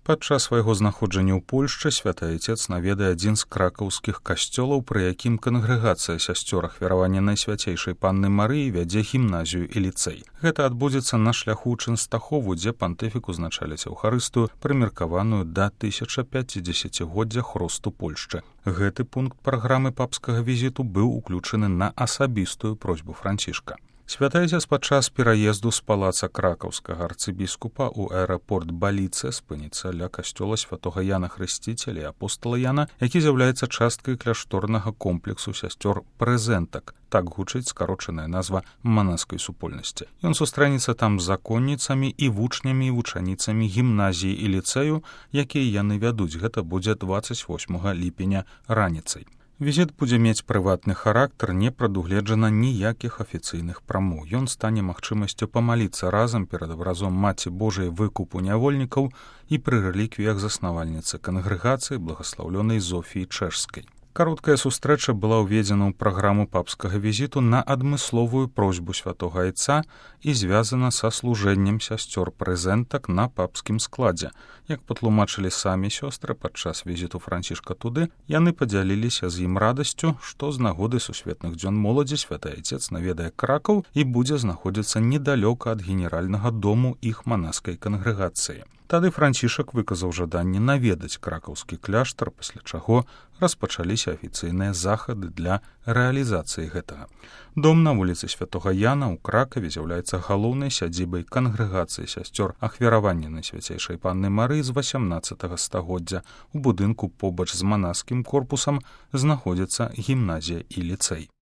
Падчас свайго знаходжання ў Польшчы святы Айцец наведае адзін з кракаўскіх касцёлаў, пры якім кангрэгацыя сясцёр ахвяравання Найсвяцейшай Панны Марыі вядзе гімназію і ліцэй. Гэта адбудзецца на шляху ў Чэнстахову, дзе пантыфік узначаліць Еўхарыстыю, прымеркаваную да 1050-годдзя хросту Польшчы. Гэты пункт праграмы папскага візіту быў уключаны на асабістую просьбу Францішка. Святы Айцец падчас пераезду з палаца кракаўскага арцыбіскупа ў аэрапорт Баліце спыніцца ля касцёла святога Яна Хрысціцеля і апостала Яна, які з'яўляецца часткай кляшторнага комплексу сясцёр прэзентак. Так гучыць скарочаная назва манаскай супольнасці. Ён сустрэнецца там з законніцамі і вучнямі і вучаніцамі гімназіі і ліцэю, якія яны вядуць. Гэта будзе 28 ліпеня раніцай. Візіт будзе мець прыватны характар, не прадугледжана ніякіх афіцыйных прамоў. Ён стане магчымасцю памаліцца разам перад абразом Маці Божай выкупу нявольнікаў і пры рэліквіях заснавальніцы кангрэгацыі благаслаўлёнай Зофіі Чэшскай. Кароткая сустрэча была ўведзена ў праграму папскага візіту на адмысловую просьбу святога Айца і звязана са служэннем сясцёр прэзентак на папскім складзе. Як патлумачылі самі сёстры падчас візіту Францішка туды, яны падзяліліся з ім радасцю, што з нагоды сусветных дзён моладзі святы Айцец наведае Кракаў і будзе знаходзіцца недалёка ад генеральнага дому іх манаскай кангрэгацыі. Тады Францішак выказаў жаданне наведаць кракаўскі кляштар, пасля чаго распачаліся афіцыйныя захады для рэалізацыі гэтага. Дом на вуліцы святога Яна ў Кракаве з'яўляецца галоўнай сядзібай кангрэгацыі сясцёр ахвяравання Найсвяцейшай Панны Марыі з 18 стагоддзя. У будынку побач з манаскім корпусам знаходзіцца гімназія і ліцэй.